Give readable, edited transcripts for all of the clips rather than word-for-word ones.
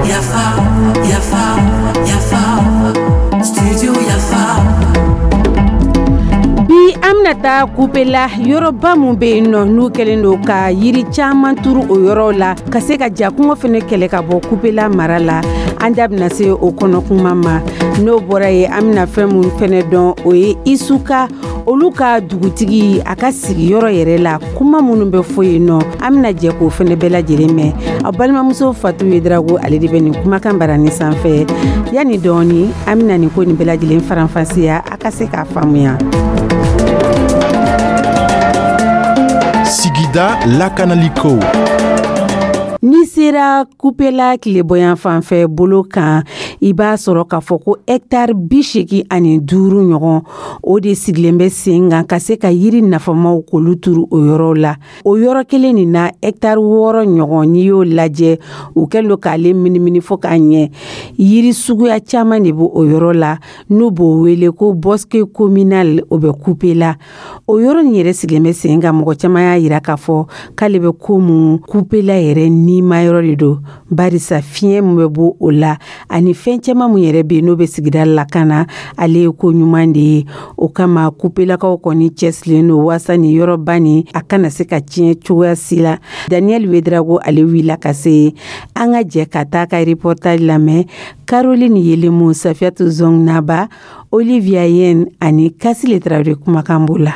Yafa, Yafa, Yafa, Studio Yafa. Bi an bɛna taa Kupela, yɔrɔba min bɛ yen nɔ, n'u kɛlen don ka yiri caman turu o yɔrɔ la ka se ka jakuma fana kɛlɛ ka bɔ Kupela mara la. An da bɛna se o kɔnɔ kuma ma. N'o bɔra yen, an bɛna fɛn minnu fana dɔn, o ye Isuka, olu ka dugutigi, a ka sigiyɔrɔ yɛrɛ la, kuma minnu bɛ fɔ yen nɔ, an bɛna jɛ k'o fana bɛɛ lajɛlen mɛn. Aw balimamuso Fatu Yedrago, ale de bɛ nin kumakan barani sanfɛ. Yanni dɔɔni, an bɛna nin ko nin bɛɛ lajɛlen faranfasiya, a ka se k'a faamuya. Sigida lakanaliko. N'i sera Kupela tilebɔyan fanfɛ bolo kan, i b'a sɔrɔ k'a fɔ ko hɛtari 85 ɲɔgɔn, o de sigilen bɛ sen kan ka se ka yiri nafamaw k'olu turu o yɔrɔ la. O yɔrɔ kelen nin na, hɛtari 6 ɲɔgɔn, n'i y'o lajɛ, u kɛlen don k'ale minimini fo k'a ɲɛ. Yiri suguya caman de b'o o yɔrɔ la, n'u b'o wele ko bosquet communal. O bɛ Kupela. O yɔrɔ nin yɛrɛ sigilen bɛ sen kan, mɔgɔ caman y'a yira k'a fɔ k'ale bɛ ko mun Kupela yɛrɛ nima yɔrɔ de don, barisa fiɲɛ min bɛ bɔ o la ani fɛn caman min yɛrɛ bɛ yen, n'o bɛ sigida lakana, ale ye ko ɲuman de ye. O kama, Kupelakaw kɔni cɛsirilen don waasa nin yɔrɔba nin, a kana se ka tiɲɛ cogoya si la. Daniel Wedrago, ale wulila ka se. An ka jɛ ka taa ka reportage lamɛn. Caroline Yelemu, Safiatou Zongnaba, Olivia Yen ani Kasile Traoré kumakan b'o la.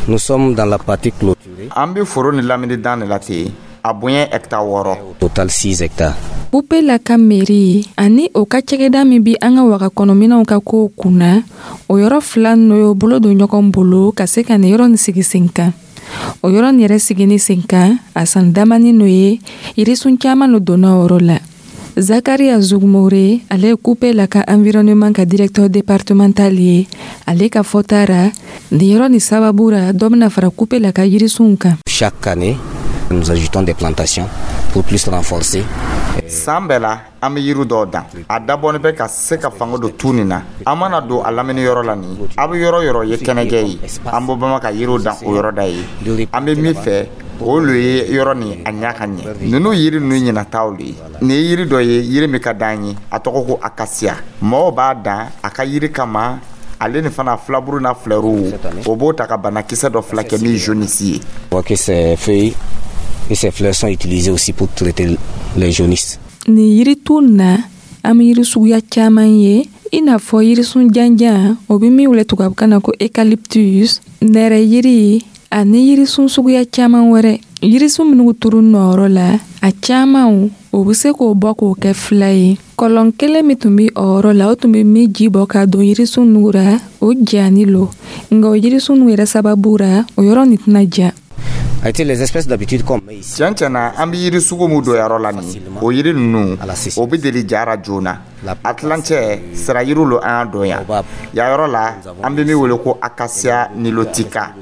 Nous sommes dans la partie clôturée. An bɛ foro ni lamini dan de la ten. A bonya hectare 6. Au total 6 hectares. Kupela ka meri ani o ka cakɛda min bi an ka waga kɔnɔminɛw ka kow kunna, o yɔrɔ fila n'o y'o bolo don ɲɔgɔn bolo ka se ka nin yɔrɔ nin sigi sen kan. O yɔrɔ nin yɛrɛ sigini sen kan, a san damani n'o ye, yirisun caman lo donna o yɔrɔ la. Zakaria Zugumore, ale ye Kupela ka environnement ka directeur départemental ye. Ale ka fɔta ra, nin yɔrɔ nin sababu ra, dɔ bɛna fara Kupela ka yirisunw kan. Chaque année, nous ajoutons des plantations pour plus renforcer. San bɛɛ la, an bɛ yiri dɔw dan. A dabɔnin bɛ ka se ka fanga don tu nin na. An mana don a lamini yɔrɔ la nin, a bɛ yɔrɔ yɔrɔ ye kɛnɛjɛ ye, an b'o bama ka yiriw dan o yɔrɔ da ye. An bɛ min fɛ, o lo ye yɔrɔ nin a ɲa ka ɲɛ. Ninnu yiri ninnu ɲinataw le ye. Nin ye yiri dɔ ye, yiri min ka d'an ye, a tɔgɔ ko akasia. Mɔgɔw b'a dan a ka yiri kama. Ale ni fana filaburu n'a filɛruw, o b'o ta ka banakisɛ dɔ filakɛ min jaunisse ye. Que ces feuilles et ces fleurs sont utilisées aussi pour traiter les jaunisses. Nin yiritu na, an bɛ yiri suguya caman ye, i n'a fɔ yirisun janjan, o bɛ min wele tubabukan na ko eucalyptus, nɛrɛ yiri ani yirisun suguya caman wɛrɛ. Yirisun minnu turu nɔyɔrɔ la, a caman o bɛ se k'o bɔ k'o kɛ fila ye. Kɔlɔn kelen min tun bɛ o yɔrɔ la, o tun bɛ min ji bɔ ka don yirisun nugu ra, o jani lo. Nka o yirisun nugu yɛrɛ sababu ra, o yɔrɔ nin tɛna ja. A été les espèces d'habitude qu'on met ici. Tiɲɛ tiɲɛ na, an bɛ yiri sugu min don yɔrɔ la nin, o yiri ninnu, o bɛ deli jara joona. A tilancɛ sira yiriw lo an y'a don yan. Yan yɔrɔ la, an bɛ min wele ko acacia nilotica.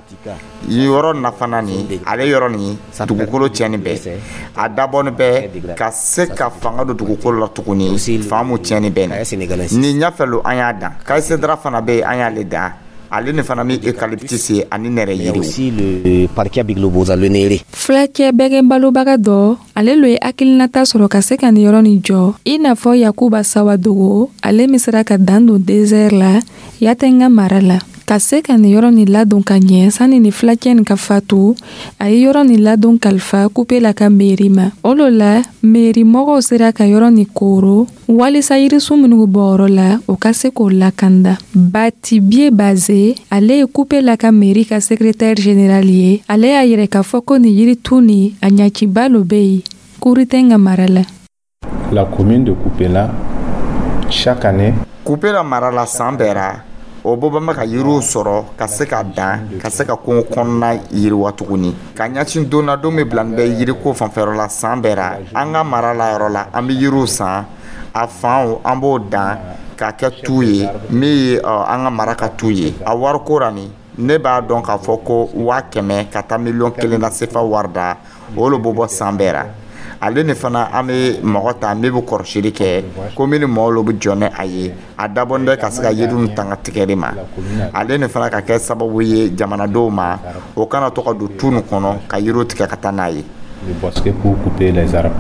Yɔrɔ nafana nin, ale yɔrɔ nin dugukolo tiɲɛni bɛɛ, a dabɔnin bɛ ka se ka fanga don dugukolo la tuguni, fan mun tiɲɛni bɛ nin. Nin ɲɛfɛ lo an y'a dan. Caïcédrat fana bɛ yen, an y'ale dan. Ale ni fana min eucalyptus ye ani nɛrɛ yiriw. Aussi le parkia biglobosa, le néré. Fulakɛ bɛgɛn balobaga dɔ, ale lo ye hakilinata sɔrɔ ka se ka nin yɔrɔ nin jɔ, i n'a fɔ Yakuba Sawadogo, ale min sera ka dan don désert la Yatenga mara la. Ka se ka nin yɔrɔ nin ladon ka ɲɛ sani ni fulakɛ nin ka fatu, a ye yɔrɔ nin ladon kalifa Kupela ka meri ma. O lo la, meri mɔgɔw sera ka yɔrɔ nin koro walisa yirisun minnu bɔ yɔrɔ la, o ka se k'o lakanda. Batibie Baze, ale ye Kupela ka meri ka secrétaire général ye. Ale y'a yɛrɛ k'a fɔ ko nin yiritu nin, a ɲaciba lo bɛ yen Kurutenga mara la. La commune de Kupela, chaque année, Kupela mara la, san bɛɛ ra, o bɔ bɛ ka yiriw sɔrɔ ka se ka dan, ka se ka kungo kɔnɔna yiriwa tuguni ka ɲɛsin don na, don min bila bɛ yiriko fanfɛyɔrɔ la. San bɛɛ ra, an ka mara la yɔrɔ la, an bɛ yiriw san, a fanw an b'o dan k'a kɛ tu ye, min ye an ka mara ka tu ye. A wariko ra nin, ne b'a dɔn k'a fɔ ko 100,000 ka taa 1,1 miliyɔn na sefa wari da, o le bɛ bɔ san bɛɛ ra. Ale ni fana, an bɛ mɔgɔ ta min bɛ kɔrɔsili kɛ, commune mɔgɔw lo bɛ jɔ ni a ye. A dabɔn bɛ ka se ka yiriw tanga tigɛli ma. Ale ni fana ka kɛ sababu ye jamanadenw ma, o kana to ka don tu nin kɔnɔ ka yiriw tigɛ ka taa n'a ye. Le bosquet pour couper les arbres.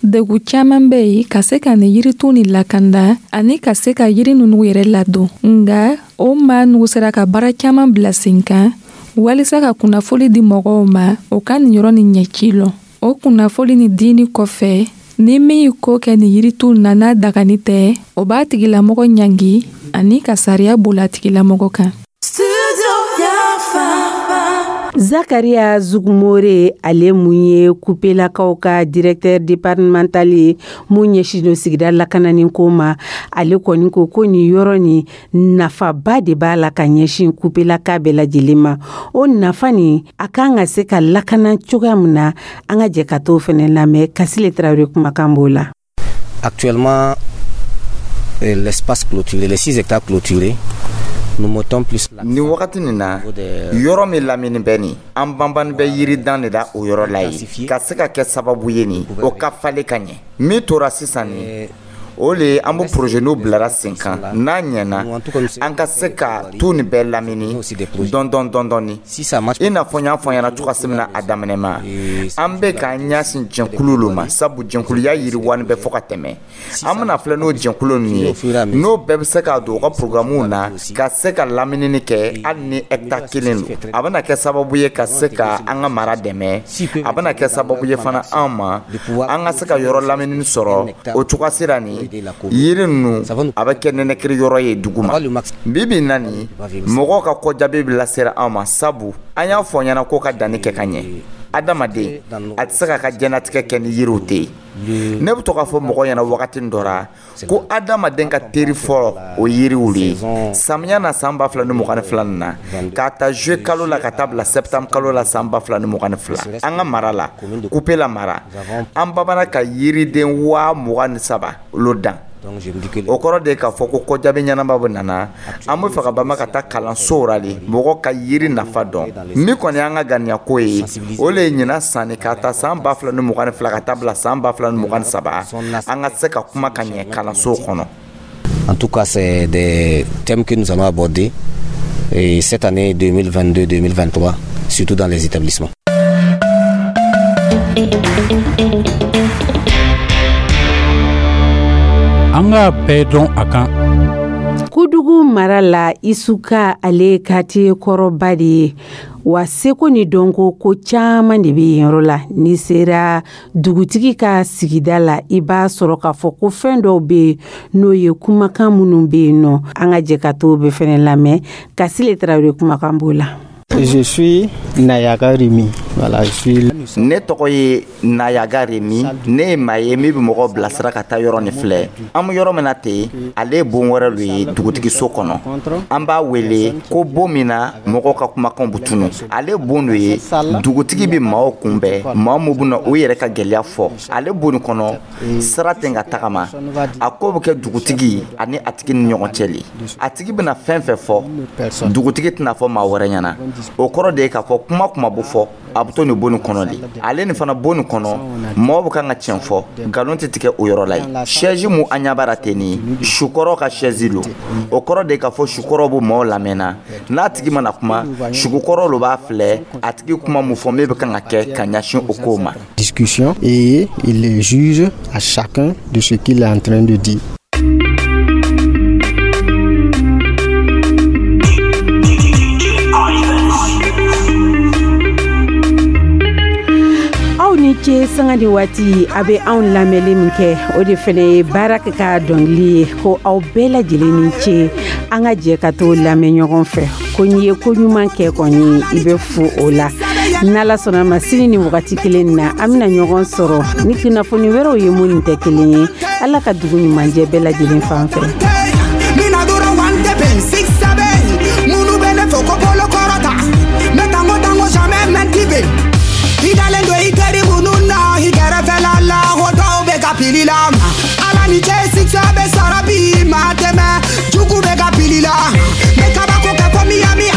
Degun caman bɛ yen ka se ka nin yiritu nin lakanda ani ka se ka yiri ninnu yɛrɛ ladon. Nga o maa nugu sera ka baara caman bila sen kan walisa ka kunnafoli di mɔgɔw ma, o ka nin yɔrɔ nin ɲɛci lɔn. O kunnafoli nin dini kɔfɛ, ni min ye ko kɛ nin yiritu na n'a dagani tɛ, o b'a tigilamɔgɔ ɲangi ani ka sariya bola a tigilamɔgɔ kan. Zakaria Zugumore, ale mun ye Kupelakaw ka directeur départemental ye mun ɲɛsin don sigida lakanani ko ma, ale kɔni ko ko nin yɔrɔ nin, nafaba de b'a la ka ɲɛsin Kupelaka bɛɛ lajɛlen ma. O nafa nin, a kan ka se ka lakana cogoya min na, an ka jɛ ka t'o fɛnɛ lamɛn. Kasile Tarawele kumakan b'o la. Actuellement, l'espace clôturé, les 6 hectares clôturés, nous mettons plus Nin wagati nin na, yɔrɔ min lamini bɛ nin, an banbani bɛ yiridan de da o yɔrɔ la ye, ka se ka kɛ sababu ye nin o ka falen ka ɲɛ. Min tora sisan nin, o le ye an bɛ projet n'o bilara sen kan. N'a ɲɛna, an ka se ka tu nin bɛɛ lamini dɔn dɔn dɔn dɔɔni. I n'a fɔ n y'a fɔ ɲɛna cogoya min na a daminɛ ma, an bɛ k'an ɲɛsin jɛnkulu lo ma, sabu jɛnkuluya yiriwani bɛ fɔ ka tɛmɛ. An bɛna filɛ n'o jɛnkulu ninnu ye, n'o bɛɛ bɛ se k'a don u ka programme na ka se ka laminini kɛ, hali ni hectare 1 don, a bɛna kɛ sababu ye ka se ka an ka mara dɛmɛ. A bɛna kɛ sababu ye fana an ma, an ka se ka yɔrɔ laminini sɔrɔ. O cogoya sira nin, yiri ninnu, a bɛ kɛ nɛnɛkiri yɔrɔ ye dugu ma. Bi bi in na nin, mɔgɔw ka kɔjaabi bɛ lasera an ma, sabu an y'a fɔ ɲɛna ko ka danni kɛ ka ɲɛ. Adamaden a tɛ se k'a ka diɲɛnatigɛ kɛ ni yiriw tɛ yen. Ne bɛ to k'a fɔ mɔgɔw ɲɛna wagati dɔ la ko adamaden ka teri fɔlɔ, o yiriw de ye. Samiya na, san 2022 nin na, k'a ta juillet kalo la ka taa bila septembre kalo la san 2022, an ka mara la, Kupela mara, an babana ka yiriden 23,000 olu dan. O kɔrɔ de ye k'a fɔ ko kɔjaabi ɲɛnama bɛ nana. An bɛ fɛ ka banba ka taa kalansow la de, mɔgɔ ka yiri nafa dɔn. Min kɔni y'an ka ganiya ko ye, o le ye ɲinan sanni k'a ta san 2022 ka taa bila san 2023, an ka se ka kuma ka ɲɛ kalansow kɔnɔ. En tout cas, c'est des thèmes que nous allons aborder et cette année 2022-2023, surtout dans les établissements. An ka bɛɛ dɔn a kan. Kudugu mara la, Isuka, ale ye quartier kɔrɔba de ye wa seko ni dɔnko ko caman de bɛ yen yɔrɔ la. N'i sera dugutigi ka sigida la, i b'a sɔrɔ k'a fɔ ko fɛn dɔw bɛ yen, n'o ye kumakan minnu bɛ yen nɔ. An ka jɛ ka t'o bɛɛ fɛnɛ lamɛn. Kasile Tarawele kumakan b'o la. Je suis Nayaga Rimi. Voilà, je suis. Ne tɔgɔ ye Nayaga Remi. Ne ye maa ye min bɛ mɔgɔw bilasira ka taa yɔrɔ nin filɛ. An bɛ yɔrɔ min na ten, ale ye bon wɛrɛ lo ye dugutigiso kɔnɔ. An b'a wele ko bon min na mɔgɔw ka kumakanw bɛ tunu. Ale bon dɔ ye dugutigi bɛ maaw kunbɛn, maa min bɛna o yɛrɛ ka gɛlɛya fɔ. Ale bon nin kɔnɔ, sira tɛ ka tagama. A ko bɛ kɛ dugutigi ani a tigi ni ɲɔgɔn cɛ le. A tigi bɛna fɛn fɛn fɔ, dugutigi tɛna fɔ maa wɛrɛ ɲɛna. O kɔrɔ de ye k'a fɔ kuma kuma bɛ fɔ, a bɛ to nin bon nin kɔnɔ de. Ale nin fana, bon nin kɔnɔ, mɔgɔw bɛ kan ka tiɲɛ fɔ, nkalon tɛ tigɛ o yɔrɔ la yen. Chaise mun an ɲɛ b'a la ten nin, sukɔrɔ ka chaise lo. O kɔrɔ de ye k'a fɔ sukɔrɔ bɛ maaw lamɛnna. N'a tigi mana kuma, sukɔrɔ lo b'a filɛ a tigi kuma mun fɔ, min bɛ kan ka kɛ ka ɲɛsin o kow ma. Discussion et il juge à chacun de ce qu'il est en train de dire. Aw ni ce sanga ni waati. A bɛ anw lamɛnli min kɛ, o de fɛnɛ ye baara kɛ ka dɔnkili ye ko aw bɛɛ lajɛlen ni ce. An ka jɛ ka t'o lamɛn ɲɔgɔn fɛ ko n'i ye ko ɲuman kɛ kɔni, i bɛ fo o la. N'Ala sɔnna ma, sini ni wagati kelen na, an bɛna ɲɔgɔn sɔrɔ ni kunnafoni wɛrɛw ye minnu tɛ kelen ye. Ala ka dugu ɲuman jɛ bɛɛ lajɛlen fan fɛ. Mina dɔrɔn one tɛpɛ six seven, minnu bɛ ne fɛ ko bolo kɔrɔta, ne tango tango jamais mɛntibe. I dalen don i teri minnu na i kɛrɛfɛla la, o dɔw bɛ ka pili la ma. Ala ni cɛ, succès bɛ sɔrɔ bi ma tɛmɛ jugu bɛ ka pili la. Ne kabako kɛ fo Miami.